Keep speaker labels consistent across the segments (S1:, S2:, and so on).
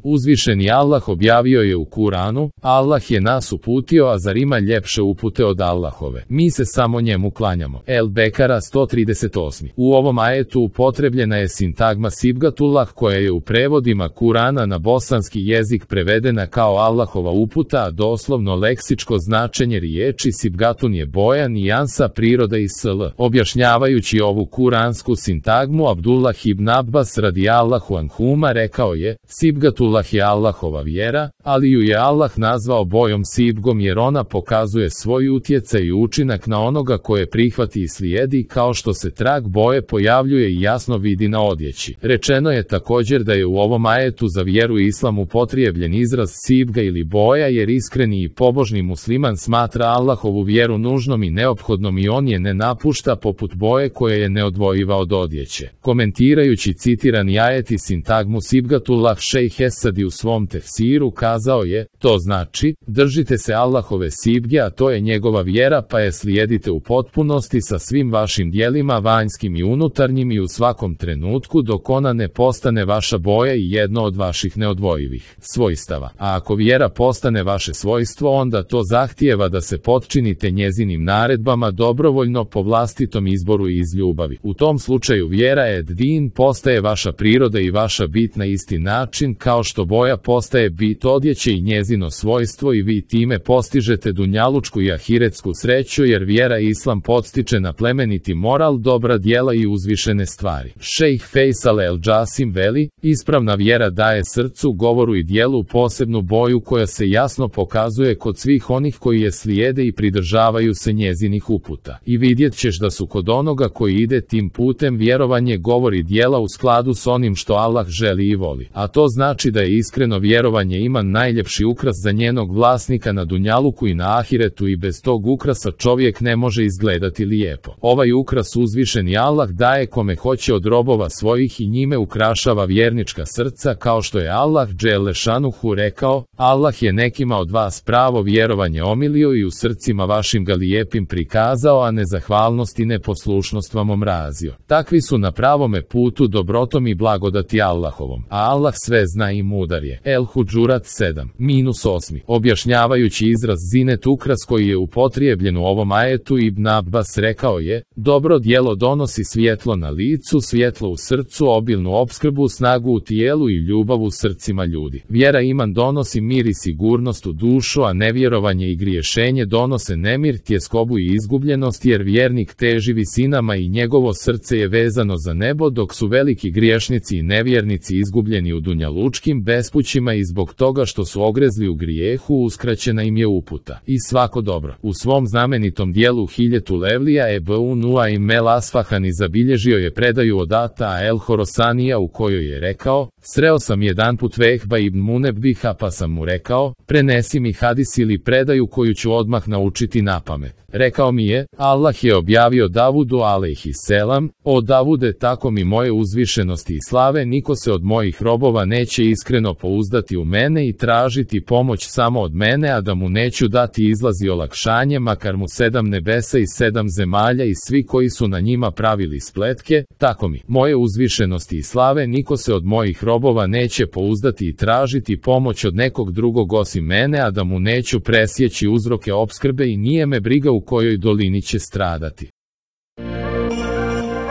S1: Uzvišeni Allah objavio je u Kuranu, Allah je nas uputio, a zar ima ljepše upute od Allahove? Mi se samo njemu klanjamo. El Bekara 138. U ovom ajetu upotrebljena je sintagma Sibgatullah koja je u prevodima Kurana na bosanski jezik prevedena kao Allahova uputa, a doslovno leksičko značenje riječi Sibgatun je boja, nijansa, priroda i sl. Objašnjavajući ovu kuransku sintagmu, Abdullah ibn Abbas radijallahu anhuma rekao je: Sibgatullah je Allahova vjera, ali ju je Allah nazvao bojom Sibgom jer ona pokazuje svoj utjecaj i učinak na onoga koje prihvati i slijedi, kao što se trag boje pojavljuje i jasno vidi na odjeći. Rečeno je također da je u ovom ajetu za vjeru islam upotrebljen izraz Sibga ili boja jer iskreni i pobožni musliman smatra Allahovu vjeru nužnom i neophodnom i on je ne napušta poput boje koja je neodvojiva od odjeće. Komentirajući citirani ajet i sintagmu Sibgatullah, šejh Esadi u svom tefsiru kazao je: to znači, držite se Allahove Sibge, a to je njegova vjera, pa je slijedite u potpunosti sa svim vašim djelima vanjskim i unutarnjim i u svakom trenutku dok ona ne postane vaša boja i jedno od vaših neodvojivih svojstava. A ako vjera postane vaše svojstvo, onda to zahtijeva da se potčinite njezinim naredbama dobrovoljno po vlastitom izboru i iz ljubavi. U tom slučaju vjera ed din postaje vaša priroda i vaša bit na isti način kao što boja postaje bit odjeće i njezino svojstvo i vi time postižete dunjalučku i ahiretsku sreću jer vjera islam podstiče na plemeniti moral, dobra djela i uzvišene stvari. Šejh Fejsal el Džasim veli: ispravna vjera daje srcu, govoru i djelu posebnu boju koja se jasno pokazuje kod svih onih koji je slijede i pridržavaju se njezinih uputa. I vidjet ćeš da su kod onoga koji ide tim putem vjerovanje, govor i djela u skladu s onim što Allah želi i voli. A to znači da je iskreno vjerovanje iman najljepši ukras za njenog vlasnika na dunjaluku i na ahiretu i bez tog ukrasa čovjek ne može izgledati lijepo. Ovaj ukras uzvišeni Allah daje kome hoće od robova svojih i njime ukrašava vjernička srca, kao što je Allah dželle šanuhu rekao: Allah je nekima od vas pravo vjerovanje omilio i u srcima vašim ga lijepim prikazao, a nezahvalnost i neposlušnost vam omrazio. Takvi su na pravome putu dobrotom i blagodati Allahovom, a Allah sve zna i mudar je. El Hudžurat 7-8. Objašnjavajući izraz zinet ukras koji je upotrijebljen u ovom ajetu, Ibn Abbas rekao je: dobro djelo donosi svjetlo na licu, svjetlo u srcu, obilnu opskrbu, snagu u tijelu i ljubav u srcima ljudi. Vjera iman donosi mir i sigurnost u dušu, a nevjerovanje i griješenje donose nemir, tjeskobu i izgubljenost jer vjernik teži visinama i njegovo srce je vezano za nebo, dok su veliki griješnici i nevjernici izgubljeni u dunjalučkim bespućima i zbog toga što su ogrezli u grijehu uskraćena im je uputa. I svako dobro. U svom znamenitom dijelu Hiljetu Levlija Ebu Nuaim el Asfahani zabilježio je predaju od Ata el Horosanija u kojoj je rekao: sreo sam jedanput Vehba ibn Munebbiha pa sam mu rekao: prenesi mi hadis ili predaju koju ću odmah naučiti napamet. Rekao mi je: Allah je objavio Davudu alejhiselam: o Davude, tako mi moje uzvišenosti i slave, niko se od mojih robova neće iskreno pouzdati u mene i tražiti pomoć samo od mene, a da mu neću dati izlaz i olakšanje, makar mu 7 nebesa i 7 zemalja i svi koji su na njima pravili spletke. Tako mi moje uzvišenosti i slave, niko se od mojih robova neće pouzdati i tražiti pomoć od nekog drugog osim mene, a da mu neću presjeći uzroke opskrbe i nije me briga u kojoj dolini će stradati.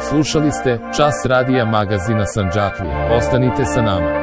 S1: Slušali ste Čas radija magazina Sandžaklija. Ostanite sa nama.